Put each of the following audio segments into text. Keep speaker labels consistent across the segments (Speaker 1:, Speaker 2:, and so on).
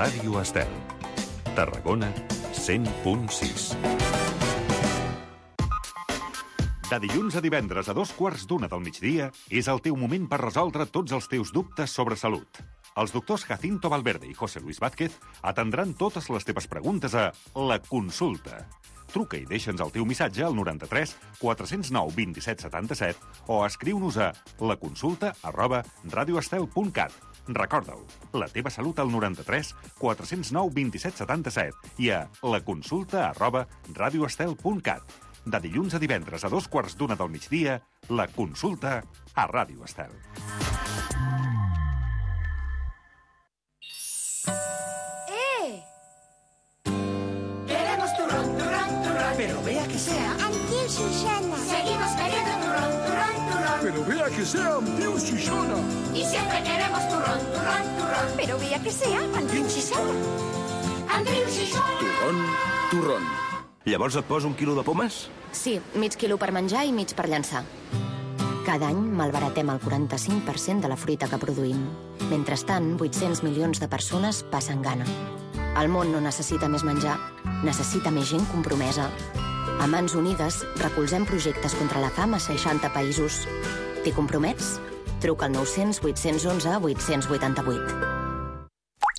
Speaker 1: Ràdio Estel. Tarragona, 100.6. De dilluns a divendres a 2:15 del migdia és el teu moment per resoldre tots els teus dubtes sobre salut. Els doctors Jacinto Valverde i José Luis Vázquez atendran totes les teves preguntes a La Consulta. Truca i deixa'ns el teu missatge al 93 409 27 77 o escriu-nos a laconsulta@radioestel.cat. Recorda-ho, la teva salut al 93 409 27 77 i a laconsulta@radioestel.cat. De dilluns a divendres a 2:15 del migdia, La Consulta a Ràdio Estel.
Speaker 2: Queremos turrón, turrón, turrón.
Speaker 3: Pero vea que sea.
Speaker 2: Amb Tiu Susana. Seguimos queriendo turrón, turrón, turrón.
Speaker 3: Pero vea que sea amb Tiu Susana.
Speaker 2: Y siempre queremos turrón, turrón, turrón.
Speaker 4: Pero vea que sea amb Tiu Susana.
Speaker 2: Amb Tiu Susana.
Speaker 3: Turrón, turrón.
Speaker 5: Llavors et poso 1 quilo de pomes?
Speaker 6: Sí, mig quilo per menjar i mig per llançar. Cada any malbaratem el 45% de la fruita que produïm. Mentrestant, 800 milions de persones passen gana. El món no necessita més menjar, necessita més gent compromesa. A Mans Unides recolzem projectes contra la fam a 60 països. T'hi compromets? Truca al 900 811 888.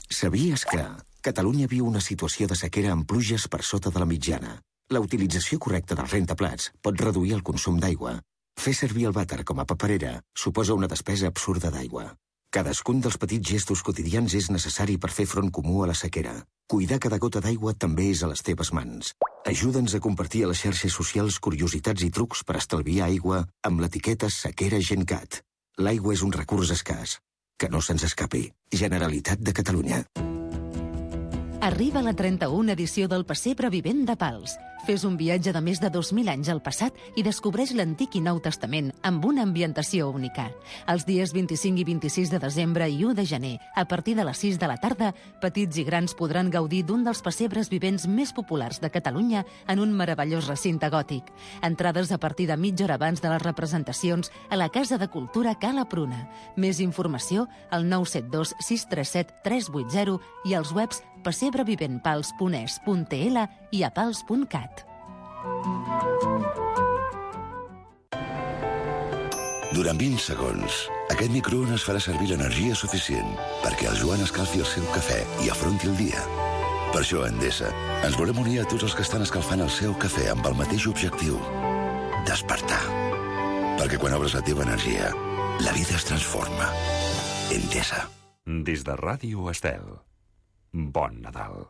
Speaker 7: Sabies que Catalunya viu una situació de sequera amb pluges per sota de la mitjana? La utilització correcta dels rentaplats pot reduir el consum d'aigua. Fer servir el vàter com a paperera suposa una despesa absurda d'aigua. Cadascun dels petits gestos quotidians és necessari per fer front comú a la sequera. Cuidar cada gota d'aigua també és a les teves mans. Ajuda'ns a compartir a les xarxes socials curiositats i trucs per estalviar aigua amb l'etiqueta Sequera GenCat. L'aigua és un recurs escàs. Que no se'ns escapi. Generalitat de Catalunya.
Speaker 8: Arriba la 31 edició del Pessebre Vivent de Pals. Fes un viatge de més de 2.000 anys al passat i descobreix l'Antic i Nou Testament amb una ambientació única. Els dies 25 i 26 de desembre i 1 de gener, a partir de les 6 de la tarda, petits i grans podran gaudir d'un dels pessebres vivents més populars de Catalunya en un meravellós recinte gòtic. Entrades a partir de mitja hora abans de les representacions a la Casa de Cultura Cala Pruna. Més informació al 972 637 380 i als webs pessebreviventpals.es.tl i a pals.cat.
Speaker 9: Durant 20 segons, aquest microones farà servir l'energia suficient perquè el Joan escalfi el seu cafè i afronti el dia. Per això, a Endesa, ens volem unir a tots els que estan escalfant el seu cafè amb el mateix objectiu: despertar. Perquè quan obres la teva energia, la vida es transforma. Endesa.
Speaker 1: Des de Ràdio Estel. Bon Nadal.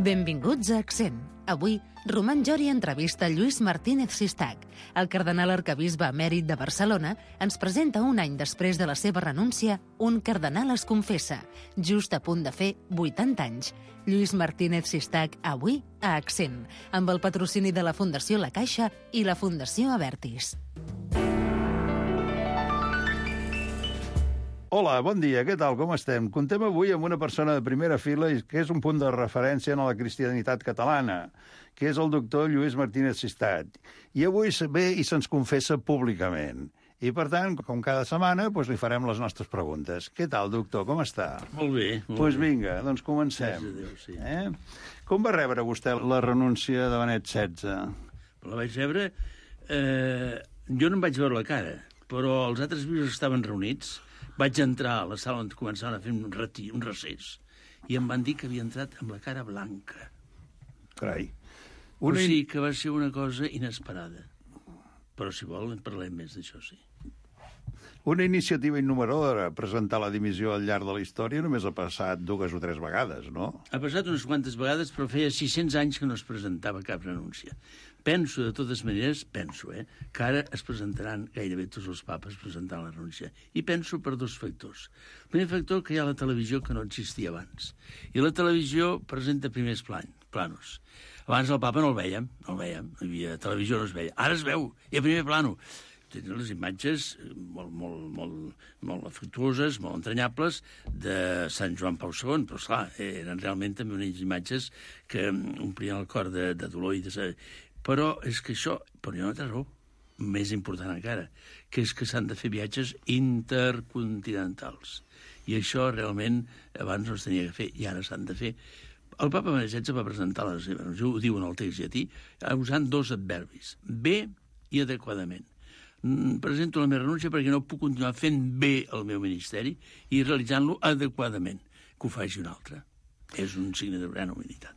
Speaker 8: Benvinguts a Accent. Avui, Roman Jori entrevista Lluís Martínez Sistac. El cardenal arquebisbe emèrit de Barcelona ens presenta un any després de la seva renúncia un cardenal es confessa, just a punt de fer 80 anys. Lluís Martínez Sistac, avui a Accent, amb el patrocini de la Fundació La Caixa i la Fundació Abertis.
Speaker 10: Hola, bon dia, què tal, com estem? Contem avui amb una persona de primera fila i que és un punt de referència en la cristianitat catalana, que és el doctor Lluís Martínez Sistac. I avui ve i se'ns confessa públicament. I, per tant, com cada setmana, li farem les nostres preguntes. Què tal, doctor, com està?
Speaker 11: Molt bé.
Speaker 10: Doncs vinga, doncs comencem.
Speaker 11: Déu, sí.
Speaker 10: Com va rebre vostè la renúncia de Benet XVI?
Speaker 11: La vaig rebre... jo no em vaig veure la cara, però els altres bisbes estaven reunits. Vaig entrar a la sala on començaven a fer un recés i em van dir que havia entrat amb la cara blanca.
Speaker 10: Carai.
Speaker 11: O sigui que va ser una cosa inesperada. Però, si vol, en parlem més d'això, sí.
Speaker 10: Una iniciativa innovadora, presentar la dimissió al llarg de la història, només ha passat 2 o 3 vegades, no?
Speaker 11: Ha passat unes quantes vegades, però feia 600 anys que no es presentava cap renúncia. Penso, de totes maneres, que ara es presentaran gairebé tots els papes presentant la renúncia. I penso per 2 factors. El primer factor, que hi ha la televisió que no existia abans. I la televisió presenta primers planos. Abans el papa no el veiem. Hi havia televisió, no es veia. Ara es veu, i a primer plano. Tenen les imatges molt afectuoses, molt entranyables, de Sant Joan Pau II, però, esclar, eren realment també unes imatges que omplien el cor de dolor i de... Però és que això... Però jo no té raó. més important encara, que és que s'han de fer viatges intercontinentals. I això realment abans no es tenia que fer, i ara s'han de fer. El papa Benet XVI va presentar la seva renúncia, ho diu en el text llatí, usant dos adverbis, bé i adequadament. Presento la meva renúncia perquè no puc continuar fent bé el meu ministeri i realitzant-lo adequadament, que ho faci un altre. És un signe de gran humilitat.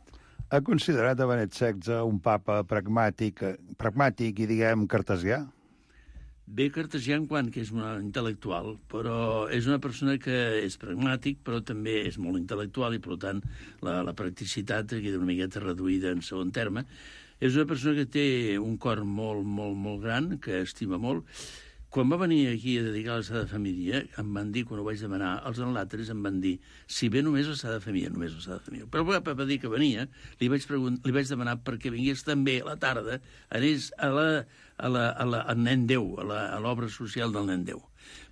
Speaker 10: Ha considerat a Benet XVI un papa pragmàtic i, diguem, cartesià?
Speaker 11: Bé cartesià en quant que és un intel·lectual, però és una persona que és pragmàtic, però també és molt intel·lectual i, per tant, la practicitat queda una miqueta reduïda en segon terme. És una persona que té un cor molt, molt, molt gran, que estima molt. Quan va venir aquí a dedicar la Sagrada Família, em van dir, quan ho vaig demanar, els enlàteres em van dir, si ve només la Sagrada Família, només la Sagrada Família. Però el papa va dir que venia, li vaig demanar perquè vingués també a la tarda, anés al nen Déu, a l'obra social del nen Déu.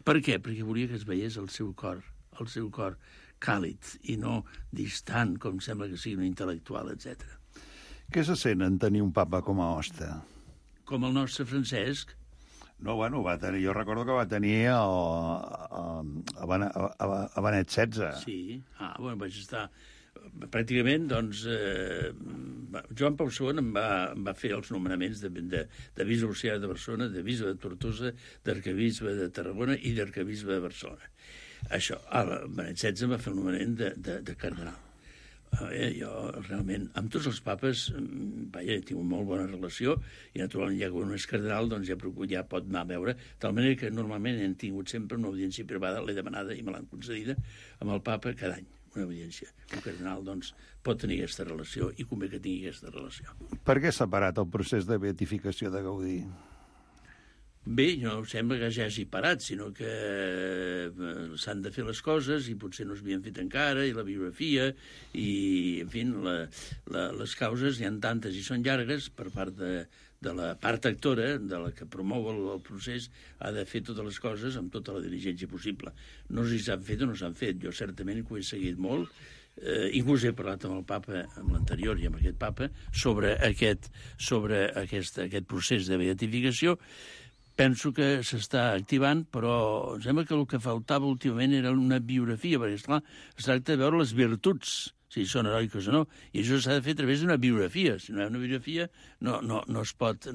Speaker 11: Per què? Perquè volia que es veiés el seu cor càlid i no distant, com sembla que sigui un intel·lectual, etc.
Speaker 10: Què se sent en tenir un papa com a hoste?
Speaker 11: Com el nostre Francesc.
Speaker 10: No, bueno, va tenir, jo recordo que va tenir a Benet XVI.
Speaker 11: Sí, bueno, vaig estar... Pràcticament, doncs, Joan Pau II em va fer els nomenaments de bisbe auxiliar de Barcelona, de bisbe de Tortosa, d'arquebisbe de Tarragona i d'arquebisbe de Barcelona. Això, Benet XVI em va fer el nomenament de cardenal. Jo, realment, amb tots els papes, tinc una molt bona relació, i naturalment, ja que un és cardenal, doncs ja pot anar a veure, de tal manera que normalment hem tingut sempre una audiència privada, l'he demanada i me l'han concedida, amb el papa cada any, una audiència. Un cardenal, doncs, pot tenir aquesta relació i convé que tingui aquesta relació.
Speaker 10: Per què s'ha parat el procés de beatificació de Gaudí?
Speaker 11: Bé, no sembla que ja hagi parat, sinó que s'han de fer les coses i potser no s'havien fet encara, i la biografia, i, en fi, les causes hi ha tantes i són llargues per part de la part actora, de la que promou el procés, ha de fer totes les coses amb tota la diligència possible. No sé si s'han fet o no s'han fet. Jo certament que ho he seguit molt, inclús he parlat amb el papa, amb l'anterior i amb aquest papa, sobre aquest procés de beatificació. Penso que s'està activant, però em sembla que el que faltava últimament era una biografia, perquè, esclar, es tracta de veure les virtuts, si són heroiques o no, i això s'ha de fer a través d'una biografia. Si no hi ha una biografia, no es pot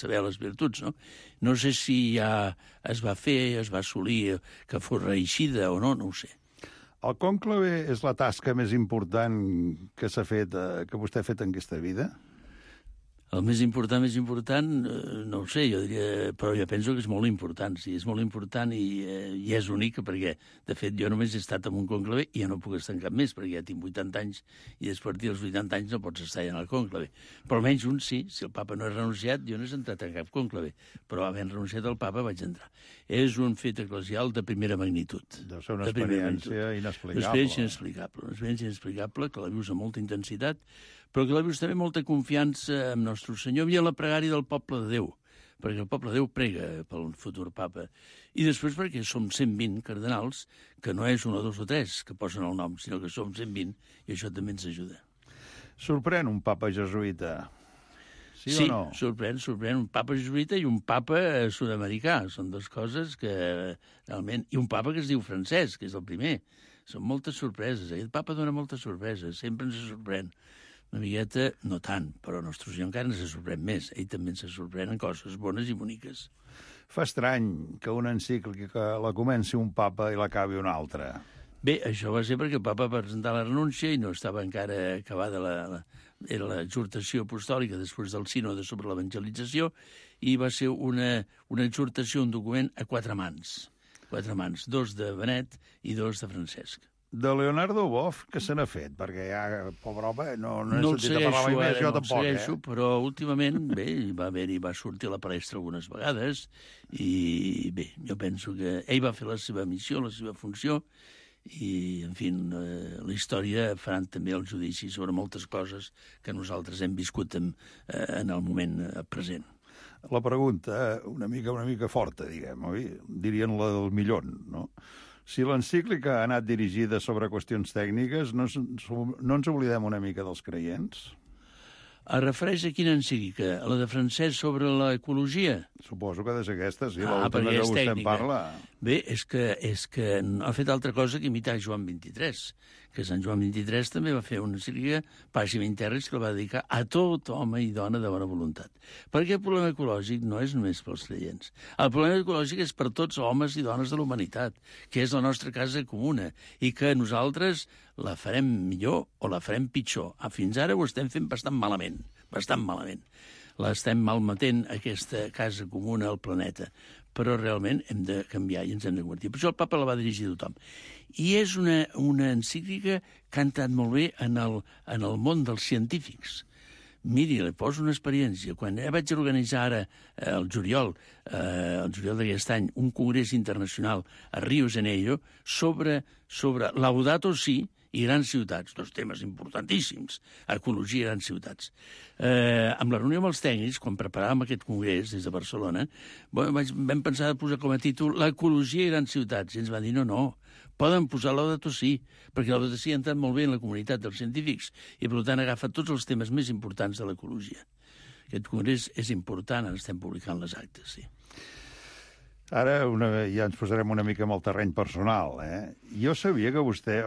Speaker 11: saber les virtuts, no? No sé si ja es va fer, es va assolir, que fos reeixida o no, no ho sé.
Speaker 10: El cònclave és la tasca més important que s'ha fet, que vostè ha fet en aquesta vida?
Speaker 11: El més important, no ho sé, jo diria, però jo penso que és molt important, sí, és molt important i és única, perquè, de fet, jo només he estat en un cònclave i ja no puc estar en cap més, perquè ja tinc 80 anys i a partir dels 80 anys no pots estar ja en el cònclave. Però almenys un sí, si el papa no ha renunciat, jo no he entrat en cap cònclave, però havent renunciat al papa vaig entrar. És un fet eclesial de primera magnitud.
Speaker 10: Deu ser una experiència inexplicable.
Speaker 11: Una experiència inexplicable, que la vius amb molta intensitat, però que la vius també molta confiança en Nostre Senyor i en la pregària del poble de Déu, perquè el poble de Déu prega pel futur papa. I després perquè som 120 cardenals, que no és 1, 2 o 3 que posen el nom, sinó que som 120, i això també ens ajuda.
Speaker 10: Sorprèn un papa jesuïta? Sí o no?
Speaker 11: Sorprèn un papa jesuïta i un papa sud-americà. Són dues coses que realment... I un papa que es diu Francesc, que és el primer. Són moltes sorpreses. Aquest papa dona moltes sorpreses, sempre ens sorprèn. Una miqueta, no tant, però Nostre Senyor encara ens sorprèn més. Ell també ens sorprèn en coses bones i boniques.
Speaker 10: Fa estrany que una encíclica la comenci un papa i l'acabi un altre.
Speaker 11: Bé, això va ser perquè el papa va presentar la renúncia i no estava encara acabada era l'exhortació apostòlica després del sínode sobre l'evangelització i va ser una exhortació, un document a 4 mans. 4 mans, 2 de Benet i 2 de Francesc.
Speaker 10: De Leonardo Boff, què se n'ha fet? Perquè ja, pobre home, no he sentit a parlar mai més, jo tampoc,
Speaker 11: segueixo, però últimament, bé, va sortir a la palestra algunes vegades, i bé, jo penso que ell va fer la seva missió, la seva funció, i, en fi, la història faran també el judici sobre moltes coses que nosaltres hem viscut en el moment present.
Speaker 10: La pregunta, una mica forta, diguem, oi? Dirien la del millón, no? Si l'encíclica ha anat dirigida sobre qüestions tècniques, no ens oblidem una mica dels creients?
Speaker 11: Es refereix a quina encíclica? A la de Francesc sobre l'ecologia?
Speaker 10: Suposo que ha de ser aquesta, sí,
Speaker 11: Ah,
Speaker 10: l'última
Speaker 11: perquè
Speaker 10: que
Speaker 11: és
Speaker 10: vostè en
Speaker 11: tècnica.
Speaker 10: parla.
Speaker 11: Bé, és que no ha fet altra cosa que imitar Joan XXIII, que Sant Joan XXIII també va fer una encíclica, Pàgina Interres, que la va dedicar a tot home i dona de bona voluntat. Perquè el problema ecològic no és només pels creients. El problema ecològic és per tots homes i dones de la humanitat, que és la nostra casa comuna, i que nosaltres la farem millor o la farem pitjor. Fins ara ho estem fent bastant malament, bastant malament. L'estem malmetent, aquesta casa comuna al planeta. Però realment hem de canviar i ens hem de convertir. Per això el papa la va dirigir a tothom. I és una encíclica que ha entrat molt bé en el món dels científics. Miri, li poso una experiència. Quan vaig organitzar ara, el juliol d'aquest any, un congrés internacional a Rio de Janeiro sobre Laudato Si i grans ciutats, dos temes importantíssims, ecologia i grans ciutats. Amb la reunió amb els tècnics, quan preparàvem aquest congrés des de Barcelona, vam pensar de posar com a títol l'ecologia i grans ciutats. I ens va dir, no, poden posar Laudato Si, perquè Laudato Si ha entrat molt bé en la comunitat dels científics i, per tant, agafa tots els temes més importants de l'ecologia. Aquest congrés és important, ara estem publicant les actes, sí.
Speaker 10: Ara ja ens posarem una mica amb el terreny personal, Jo sabia que vostè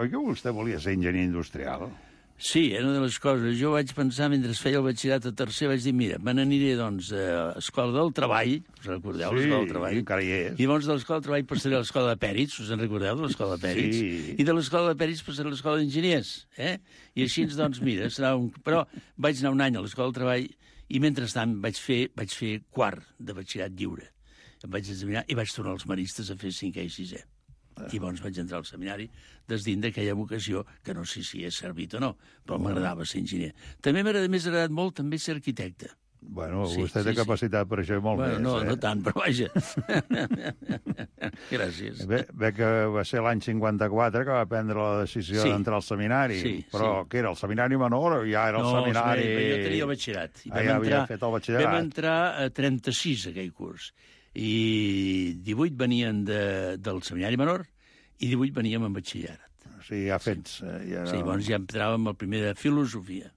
Speaker 10: volia ser enginyer industrial?
Speaker 11: Sí, era una de les coses. Jo vaig pensar, mentre feia el batxillerat a tercer, vaig dir, mira, me n'aniré, doncs, a l'Escola del Treball, us en recordeu, l'Escola del Treball?
Speaker 10: Sí, encara hi és.
Speaker 11: I llavors de l'Escola del Treball passaré a l'Escola de Pèrits, us en recordeu, de l'Escola de Pèrits?
Speaker 10: Sí.
Speaker 11: I de l'Escola de Pèrits passaré a l'Escola d'Enginyers, I així, doncs, mira, serà un... Però vaig anar un any a l'Escola del Treball i, mentrestant, vaig fer quart de batxillerat lliure. Em vaig examinar i vaig tornar als maristes a fer 5è i 6è. I llavors vaig entrar al seminari desdint d'aquella vocació que no sé si he servit o no, però m'agradava ser enginyer. També m'ha agradat molt també ser arquitecte.
Speaker 10: Bueno, vostè té capacitat per això molt més.
Speaker 11: No tant, però vaja. Gràcies.
Speaker 10: Bé que va ser l'any 54 que va prendre la decisió d'entrar al seminari, però què era, el seminari menor o ja era el seminari...
Speaker 11: No, jo tenia el batxillerat.
Speaker 10: Ja havia fet el batxillerat.
Speaker 11: Vam entrar a 36 aquell curs. I 18 venien del seminari menor i 18 veníem en batxillerat.
Speaker 10: O sigui, ja fets...
Speaker 11: Sí, llavors ja entràvem al primer de filosofia.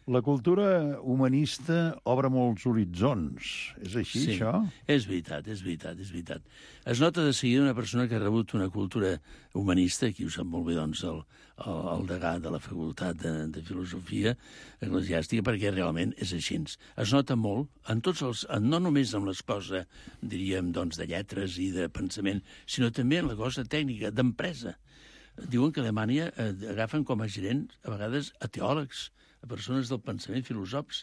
Speaker 10: La cultura humanista obre molts horitzons. És així, això?
Speaker 11: És veritat. Es nota de seguida una persona que ha rebut una cultura humanista, aquí ho sap molt bé, doncs, el degà de la facultat de filosofia eclesiàstica, perquè realment és així. Es nota molt, no només en les coses, diríem, doncs, de lletres i de pensament, sinó també en la cosa tècnica, d'empresa. Diuen que a Alemanya agafen com a gerents, a vegades, a teòlegs, a persones del pensament, filòsofs,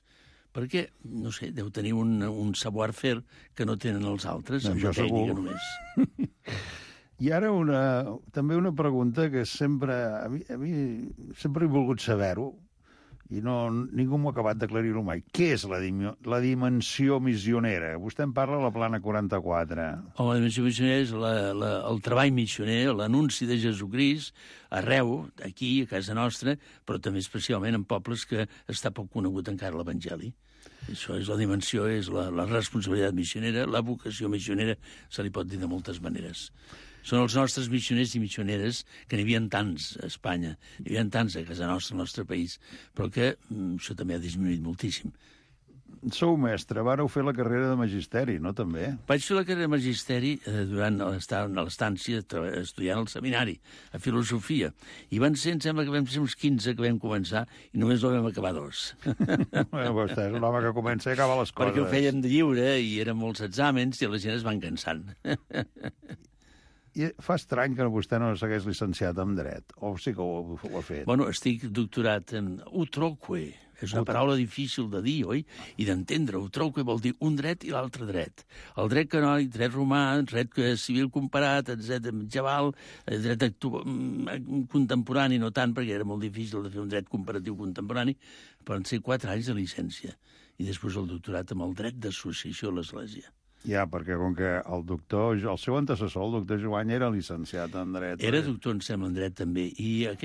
Speaker 11: perquè, no sé, deu tenir un savoir-faire que no tenen els altres, amb la tècnica només.
Speaker 10: I ara també una pregunta que sempre... A mi sempre he volgut saber-ho, i ningú m'ha acabat d'aclarir-ho mai. Què és la dimensió missionera? Vostè en parla a la Plana 44.
Speaker 11: La dimensió missionera és el treball missioner, l'anunci de Jesucrist arreu, aquí, a casa nostra, però també especialment en pobles que està poc conegut encara l'Evangeli. Això és la dimensió, és la responsabilitat missionera, la vocació missionera, se li pot dir de moltes maneres. Són els nostres missioners i missioneres, que n'hi havia tants a Espanya, n'hi havia tants a casa nostra, al nostre país, però que això també ha disminuït moltíssim.
Speaker 10: Sou mestre, vareu fer la carrera de magisteri, no, també?
Speaker 11: Vaig fer la carrera de magisteri durant l'estància estudiant al seminari, a filosofia. I van ser, em sembla que vam ser uns 15 que vam començar i només la vam acabar 2.
Speaker 10: Vostè és un home que comença i acaba les coses.
Speaker 11: Perquè ho fèiem de lliure i eren molts exàmens i la gent es van cansant.
Speaker 10: I fa estrany que vostè no s'hagués llicenciat en dret, o sí que ho ha fet?
Speaker 11: Bueno, estic doctorat en utroque. És una paraula difícil de dir, oi? I d'entendre. Utroque vol dir un dret i l'altre dret. El dret canònic, dret romà, dret civil comparat, dret medieval, dret contemporani, no tant, perquè era molt difícil de fer un dret comparatiu contemporani, però van ser 4 anys de llicència. I després el doctorat amb el dret d'associació a l'Església.
Speaker 10: Ja, perquè com que el seu antecessor, el doctor Joany, era llicenciat en dret.
Speaker 11: Era doctor, em sembla, en dret també. I el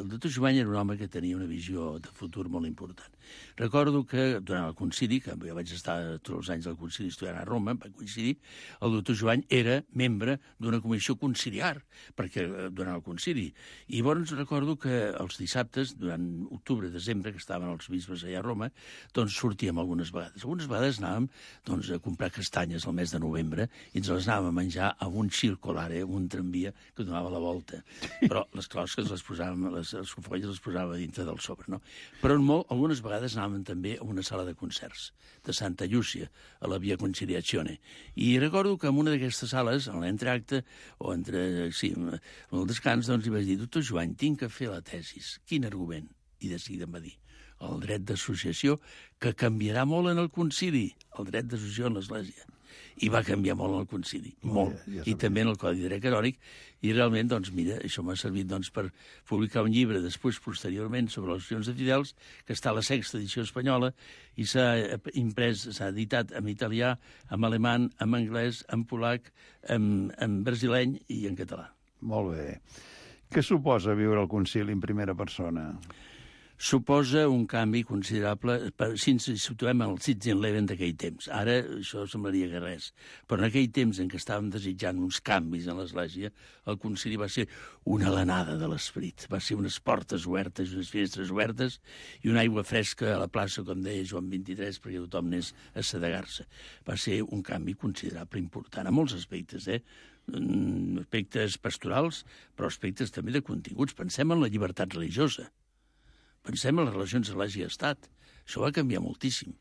Speaker 11: doctor Joany era un home que tenia una visió de futur molt important. Recordo que durant el concili, que jo vaig estar tots els anys al concili estudiant a Roma, va coincidir, el doctor Jovany era membre d'una comissió conciliar, perquè durant el concili. I llavors recordo que els dissabtes, durant octubre, desembre, que estaven els bisbes allà a Roma, doncs sortíem algunes vegades. Algunes vegades anàvem doncs, a comprar castanyes al mes de novembre i ens les anàvem a menjar a un circolare, un tramvia que donava la volta. Però les closques les posàvem, les folles les posàvem dintre del sobre, no? Però algunes vegades anàvem també a una sala de concerts de Santa Llúcia, a la Via Conciliazione. I recordo que en una d'aquestes sales, en l'entreacte, o en el descans, doncs hi vaig dir, doctor Jovany, tinc que fer la tesis. Quin argument? I de seguida em va dir, el dret d'associació, que canviarà molt en el concili, el dret d'associació en l'Església. I va canviar molt en el concili, molt. I també en el Codi Dret Canònic. I realment, doncs, mira, això m'ha servit doncs, per publicar un llibre després, posteriorment, sobre les associacions de fidels, que està a la 6ª edició espanyola, i s'ha imprès, s'ha editat en italià, en alemany, en anglès, en polac, en brasileny i en català.
Speaker 10: Molt bé. Què suposa viure el concili en primera persona?
Speaker 11: Suposa un canvi considerable si ens situem al Sitzenleben d'aquell temps. Ara això semblaria que res. Però en aquell temps en què estàvem desitjant uns canvis en l'Església, el concili va ser una alenada de l'esperit. Va ser unes portes obertes, unes finestres obertes i una aigua fresca a la plaça, com deia Joan XXIII, perquè tothom anés a sedegar-se. Va ser un canvi considerable, important, a molts aspectes, aspectes pastorals, però aspectes també de continguts. Pensem en la llibertat religiosa. Pensem en les relacions Església-Estat. Això va canviar moltíssim.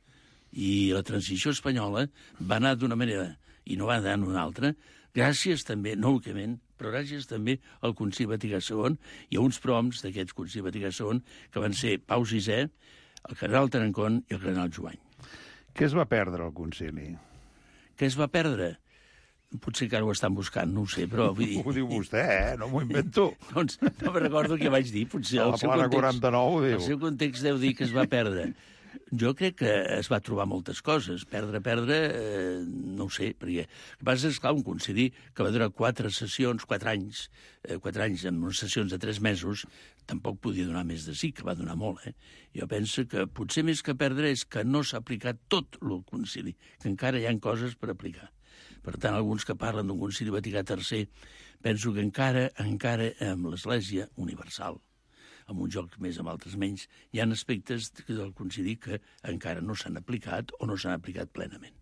Speaker 11: I la transició espanyola va anar d'una manera i no va anar d'una altra, gràcies també, no únicament, però gràcies també al Concili Vaticà II i a uns prohoms d'aquests Concili Vaticà II que van ser Pau VI, el cardenal Tarancón i el cardenal Jovany.
Speaker 10: Què es va perdre al concili?
Speaker 11: Què es va perdre? Potser que ara ho estan buscant, no ho sé, però... Vull dir...
Speaker 10: Ho diu vostè, no m'ho invento.
Speaker 11: Doncs no me recordo què vaig dir, potser...
Speaker 10: A la plana 49 ho diu.
Speaker 11: El seu context deu dir que es va perdre. Jo crec que es va trobar moltes coses. Perdre, no ho sé, perquè... El que passa és, clar, un concili que va durar 4 sessions, 4 anys, amb unes sessions de 3 mesos, tampoc podia donar més de sí, que va donar molt, Jo penso que potser més que perdre és que no s'ha aplicat tot el concili, que encara hi ha coses per aplicar. Per tant, alguns que parlen d'un concili Vaticà III, penso que encara amb l'Església universal, amb uns jocs més, amb altres menys, hi ha aspectes del concili que encara no s'han aplicat o no s'han aplicat plenament.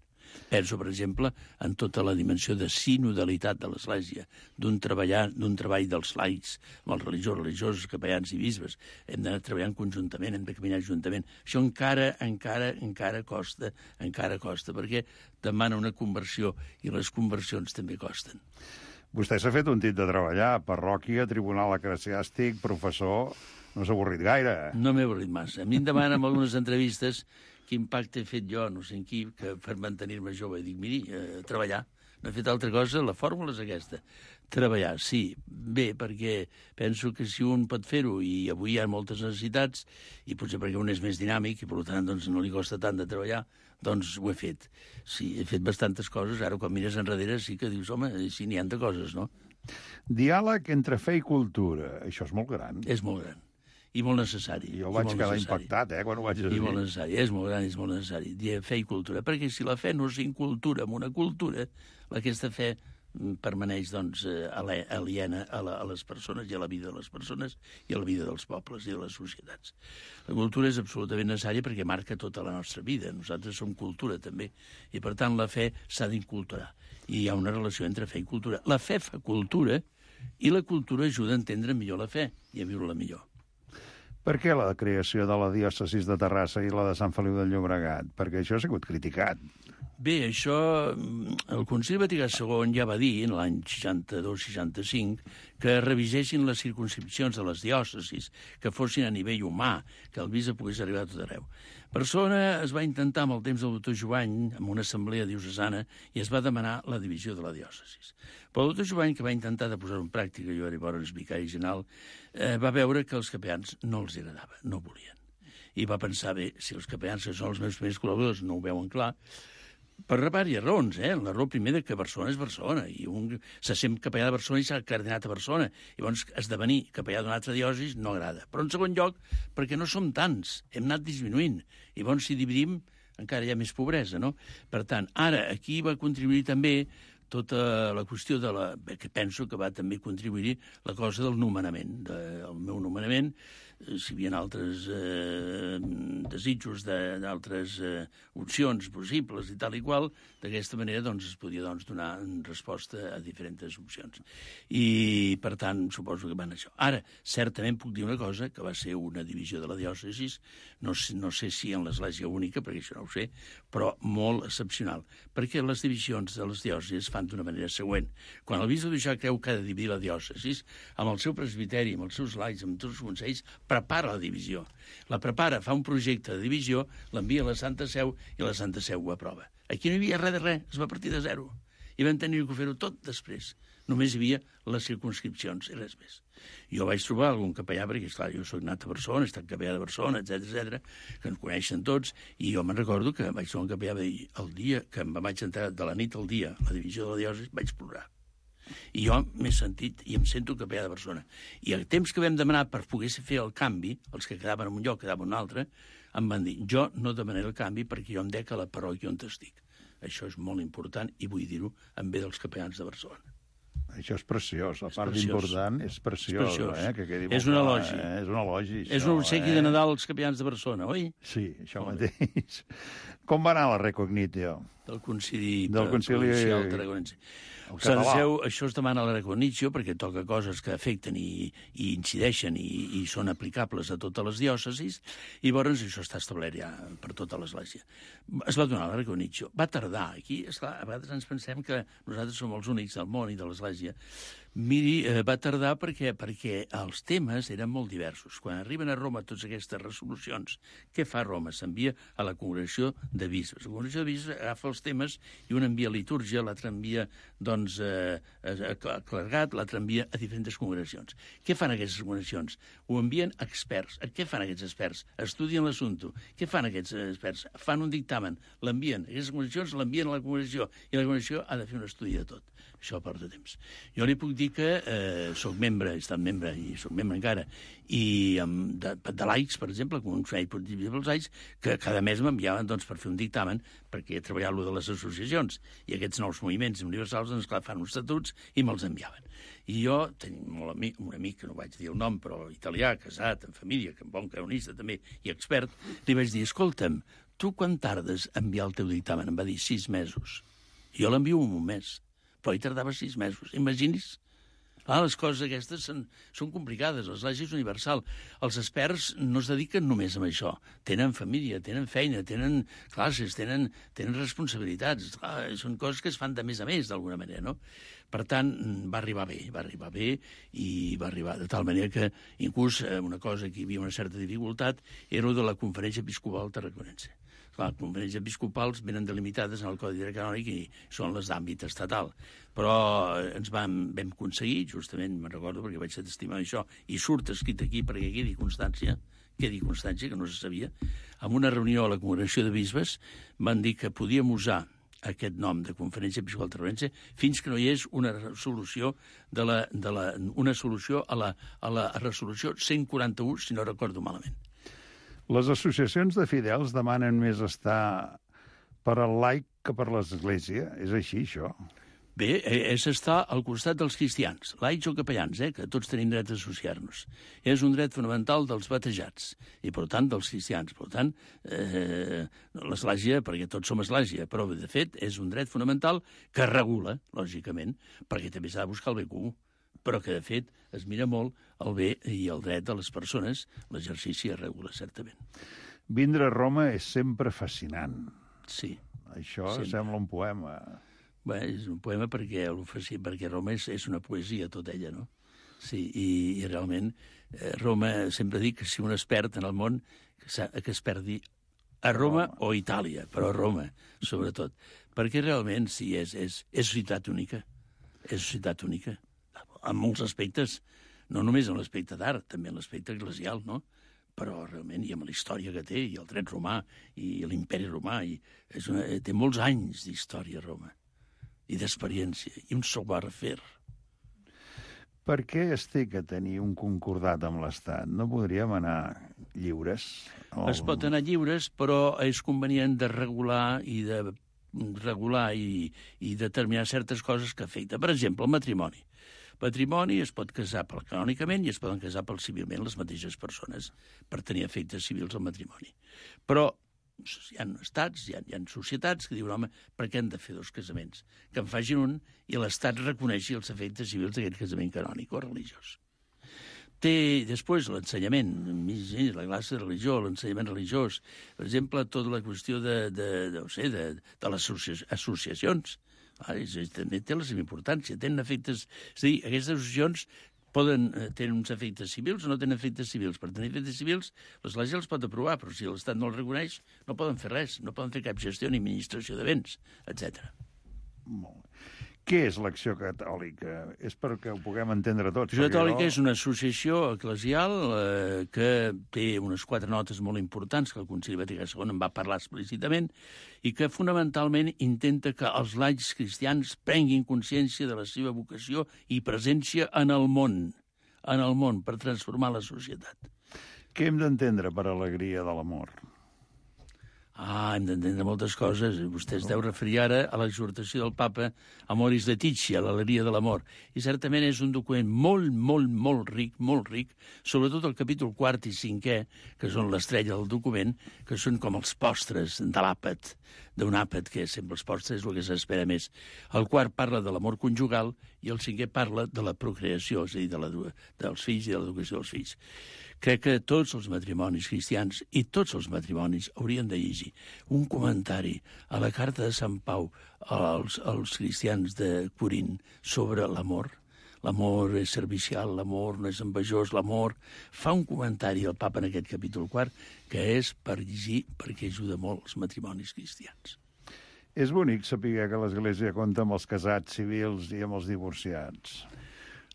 Speaker 11: Penso, per exemple, en tota la dimensió de sinodalitat de l'Església, d'un treball dels laics, amb els religiosos, capellans i bisbes. Hem d'anar treballant conjuntament, hem de caminar juntament. Això encara costa, perquè demana una conversió, i les conversions també costen.
Speaker 10: Vostè s'ha fet un tit de treballar, parròquia, tribunal eclesiàstic, professor... No s'ha avorrit gaire.
Speaker 11: No m'he avorrit massa. A mi em demanen en algunes entrevistes quin pacte he fet jo, no sé en qui, que per mantenir-me jove. Dic, miri, treballar. No he fet altra cosa, la fórmula és aquesta. Treballar, sí. Bé, perquè penso que si un pot fer-ho, i avui hi ha moltes necessitats, i potser perquè un és més dinàmic, i per tant doncs, no li costa tant de treballar, doncs ho he fet. Sí, he fet bastantes coses. Ara, quan mires enrere, sí que dius, home, sí, n'hi ha de coses, no?
Speaker 10: Diàleg entre fe i cultura. Això és molt gran.
Speaker 11: És molt gran. I molt necessari.
Speaker 10: Jo vaig quedar impactat, quan ho vaig dir.
Speaker 11: I molt necessari, és molt gran, és molt necessari. Dir fe i cultura, perquè si la fe no s'incultura en una cultura, aquesta fe permaneix, doncs, aliena a les persones i a la vida de les persones i a la vida dels pobles i de les societats. La cultura és absolutament necessària perquè marca tota la nostra vida. Nosaltres som cultura, també. I, per tant, la fe s'ha d'inculturar. I hi ha una relació entre fe i cultura. La fe fa cultura i la cultura ajuda a entendre millor la fe i a viure-la millor.
Speaker 10: Per què la creació de la diòcesis de Terrassa i la de Sant Feliu de Llobregat? Perquè això ha sigut criticat.
Speaker 11: Bé, això, el Concili Vaticà II ja va dir, en l'any 62-65, que revisessin les circumscripcions de les diòcesis, que fossin a nivell humà, que el bisbe pogués arribar a tot arreu. Barcelona es va intentar amb el temps del doctor Jovany, amb una assemblea diocesana, i es va demanar la divisió de la diòcesis. Però el doctor Jovany, que va intentar de posar-ho en pràctica, jo era llavors vicari general, va veure que els capellans no els agradava, no volien. I va pensar, bé, si els capellans, que són els meus primers col·laboradors, no ho veuen clar, Per diverses raons, L'error primer de que Barcelona és Barcelona, i un se sent capellà de Barcelona i s'ha cardinat a Barcelona. I llavors esdevenir capellà d'una altra diòcesi no agrada. Però en segon lloc, perquè no som tants, hem anat disminuint. I llavors si dividim encara hi ha més pobresa, no? Per tant, ara aquí va contribuir també tota la qüestió que penso que va també contribuir la cosa del nomenament, del meu nomenament, si hi havia altres desitjos d'altres opcions possibles i tal i qual, d'aquesta manera es podia donar resposta a diferents opcions. I, per tant, suposo que van això. Ara, certament puc dir una cosa, que va ser una divisió de la diòcesis, no sé si en l'Església única, perquè això no ho sé, però molt excepcional, perquè les divisions de les diòcesis es fan d'una manera següent. Quan el bisbe ja creu que ha de dividir la diòcesis, amb el seu presbiteri, amb els seus laics, amb tots els consells, prepara la divisió. La prepara, fa un projecte de divisió, l'envia a la Santa Seu i la Santa Seu ho aprova. Aquí no hi havia res de res, es va partir de zero. I vam tenir que fer-ho tot després. Només hi havia les circumscripcions i res més. Jo vaig trobar algun capellà, perquè, esclar, jo soc nat a Barcelona, he estat capellà de Barcelona, etc, que ens coneixen tots, i jo me'n recordo que vaig trobar un capellà i el dia que em vaig entrar de la nit al dia a la divisió de la diòcesi vaig plorar. I jo m'he sentit i em sento capellà de Barcelona. I el temps que vam demanar per poder fer el canvi, els que quedaven en un lloc, quedaven en un altre, em van dir, jo no demanaré el canvi perquè jo em dec a la parròquia on estic. Això és molt important i vull dir-ho en bé dels capellans de Barcelona.
Speaker 10: Això és preciós, la part important és preciós. Que quedi
Speaker 11: és un elogi.
Speaker 10: És un elogi, això.
Speaker 11: És un obsequi de Nadal als capellans de Barcelona, oi?
Speaker 10: Sí, això mateix. Com va anar la recognitio?
Speaker 11: Del concili provincial tarragonense. Això es demana a la recognitio perquè toca coses que afecten i incideixen i són aplicables a totes les diòcesis, i llavors això està establert ja per tota l'Església. Es va donar la recognitio. Va tardar. Aquí, esclar, a vegades ens pensem que nosaltres som els únics del món i de l'Església. Miri, va tardar perquè els temes eren molt diversos. Quan arriben a Roma totes aquestes resolucions, què fa Roma? S'envia a la congregació de bisbes. La congregació de bisbes agafa els temes i un envia a litúrgia, l'altre envia a clergat, l'altre envia a diferents congregacions. Què fan aquestes congregacions? Ho envien a experts. Què fan aquests experts? Estudien l'assumpte. Què fan aquests experts? Fan un dictamen, l'envien. Aquestes congregacions l'envien a la congregació i la congregació ha de fer un estudi de tot. Això porta temps. Jo li puc dir que soc membre, he estat membre i soc membre encara, i de laics, per exemple, com un consell dels laics, que cada mes m'enviaven per fer un dictamen, perquè he treballat lo de les associacions, i aquests nous moviments universals, clar, fan uns estatuts i me'ls enviaven. I jo tenia un amic, que no vaig dir el nom, però italià, casat, en família, que bon canonista també, i expert, li vaig dir, escolta'm, tu quan tardes a enviar el teu dictamen? Em va dir 6 mesos. Jo l'envio en un mes. Però hi tardava 6 mesos. Imagini's. Les coses aquestes són complicades. L'Església és universal. Els experts no es dediquen només a això. Tenen família, tenen feina, tenen classes, tenen responsabilitats. Són coses que es fan de més a més, d'alguna manera, no? Per tant, va arribar bé i va arribar de tal manera que inclús una cosa que hi havia una certa dificultat era de la Conferència Episcopal Tarraconense. Les conferències episcopals venen delimitades en el Codi Canònic i són les d'àmbit estatal. Però ens vam aconseguir, justament, me'n recordo perquè vaig ser testimoni d'això, i surt escrit aquí perquè quedi constància, que no se sabia, en una reunió a la Congregació de Bisbes van dir que podíem usar aquest nom de Conferència Episcopal Tarraconense fins que no hi hagués una solució una solució a la resolució 141, si no recordo malament.
Speaker 10: Les associacions de fidels demanen més estar per al laic que per l'Església. És així, això?
Speaker 11: Bé, és estar al costat dels cristians, laics o capellans, que tots tenim dret a associar-nos. És un dret fonamental dels batejats i, per tant, dels cristians. Per tant, l'Església, perquè tots som Església, però, de fet, és un dret fonamental que regula, lògicament, perquè també s'ha de buscar el bé comú, però que, de fet, es mira molt el bé i el dret de les persones, l'exercici es regula, certament.
Speaker 10: Vindre a Roma és sempre fascinant.
Speaker 11: Sí.
Speaker 10: Això sembla un poema.
Speaker 11: Bé, és un poema perquè Roma és una poesia, tota ella, no? Sí, i realment Roma, sempre dic que si un es perd en el món, que es perdi a Roma o a Itàlia, però a Roma, sobretot. Perquè realment, sí, és ciutat única. És ciutat única. En molts aspectes, no només en l'aspecte d'art, també en l'aspecte eclesial, no? però realment, i amb la història que té, i el dret romà, i l'imperi romà, té molts anys d'història Roma, i d'experiència, i un savoir-faire.
Speaker 10: Per què estic a tenir un concordat amb l'Estat? No podríem anar lliures?
Speaker 11: Es pot anar lliures, però és convenient de regular i determinar certes coses que afecten. Per exemple, el matrimoni. El matrimoni es pot casar canònicament i es poden casar civilment les mateixes persones per tenir efectes civils al matrimoni. Però hi ha estats, hi ha societats que diuen, home, per què hem de fer dos casaments? Que en facin un i l'Estat reconeixi els efectes civils d'aquest casament canònic o religiós. Té després l'ensenyament, la classe de religió, l'ensenyament religiós, per exemple, tota la qüestió de les associacions. També té la seva importància, tenen efectes... És a dir, aquestes associacions tenen uns efectes civils o no tenen efectes civils. Per tenir efectes civils, l'Església els pot aprovar, però si l'Estat no els reconeix, no poden fer res, no poden fer cap gestió ni administració de béns, etc.
Speaker 10: Molt bé. Què és l'Acció Catòlica? És perquè ho puguem entendre tots.
Speaker 11: L'Acció Catòlica és una associació eclesial que té unes 4 notes molt importants, que el Concili Vaticà II en va parlar explícitament, i que fonamentalment intenta que els laics cristians prenguin consciència de la seva vocació i presència en el món, per transformar la societat.
Speaker 10: Què hem d'entendre per alegria de l'amor?
Speaker 11: Hem d'entendre moltes coses. Vostè es deu referir ara a l'exhortació del papa Amoris Laetitia, l'alegria de l'amor. I certament és un document molt ric, sobretot el capítol 4 i 5è, que són l'estrella del document, que són com els postres de l'àpat, d'un àpat, que sempre els postres és el que s'espera més. El quart parla de l'amor conjugal i el 5è parla de la procreació, és a dir, dels fills i de l'educació dels fills. Crec que tots els matrimonis cristians i tots els matrimonis haurien de llegir un comentari a la carta de Sant Pau als cristians de Corint sobre l'amor. L'amor és servicial, l'amor no és envejós, l'amor... Fa un comentari al papa en aquest capítol 4 que és per llegir perquè ajuda molt els matrimonis cristians.
Speaker 10: És bonic saber que l'Església compta amb els casats civils i amb els divorciats.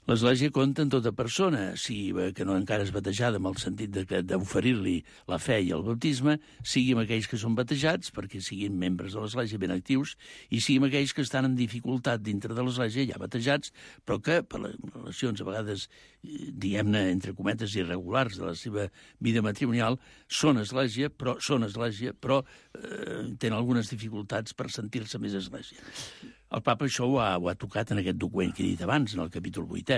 Speaker 11: L'Església compta en tota persona, que no encara és batejada, en el sentit d'oferir-li la fe i el baptisme, sigui amb aquells que són batejats, perquè siguin membres de l'Església ben actius, i sigui amb aquells que estan en dificultat dintre de l'Església, ja batejats, però que, per les relacions a vegades, diguem-ne, entre cometes, irregulars de la seva vida matrimonial, són Església, però tenen algunes dificultats per sentir-se més Església. El papa això ho ha tocat en aquest document que he dit abans, en el capítol 8è,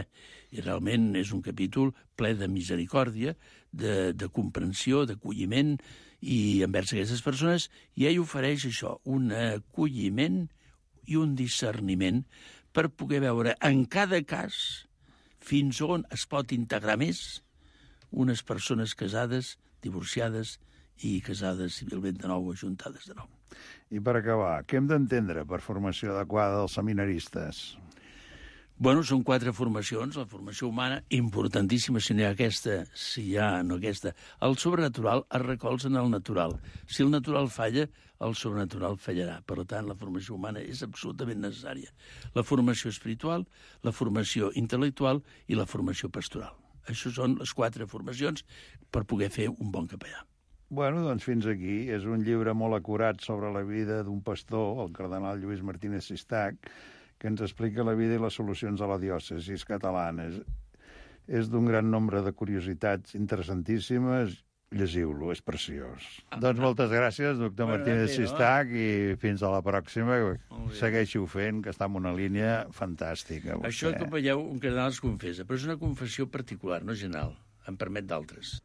Speaker 11: i realment és un capítol ple de misericòrdia, de comprensió, d'acolliment i envers aquestes persones, i ell ofereix això, un acolliment i un discerniment per poder veure en cada cas fins on es pot integrar més unes persones casades, divorciades i casades civilment de nou o ajuntades de nou.
Speaker 10: I per acabar, què hem d'entendre per formació adequada dels seminaristes?
Speaker 11: Són 4 formacions. La formació humana, importantíssima, si no hi ha aquesta, no aquesta. El sobrenatural es recolza en el natural. Si el natural falla, el sobrenatural fallarà. Per tant, la formació humana és absolutament necessària. La formació espiritual, la formació intel·lectual i la formació pastoral. Això són les 4 formacions per poder fer un bon capellà.
Speaker 10: Doncs fins aquí. És un llibre molt acurat sobre la vida d'un pastor, el cardenal Lluís Martínez Sistac, que ens explica la vida i les solucions a la diòcesi catalana. És d'un gran nombre de curiositats interessantíssimes. Llegiu-lo, és preciós. Doncs moltes gràcies, doctor Martínez Sistac, i fins a la pròxima. Segueixi-ho fent, que està en una línia fantàstica.
Speaker 11: Això que veieu, un cardenal es confessa, però és una confessió particular, no general. Em permet d'altres.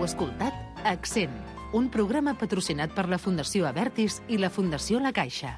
Speaker 8: Heu escoltat Accent, un programa patrocinat per la Fundació Abertis i la Fundació La Caixa.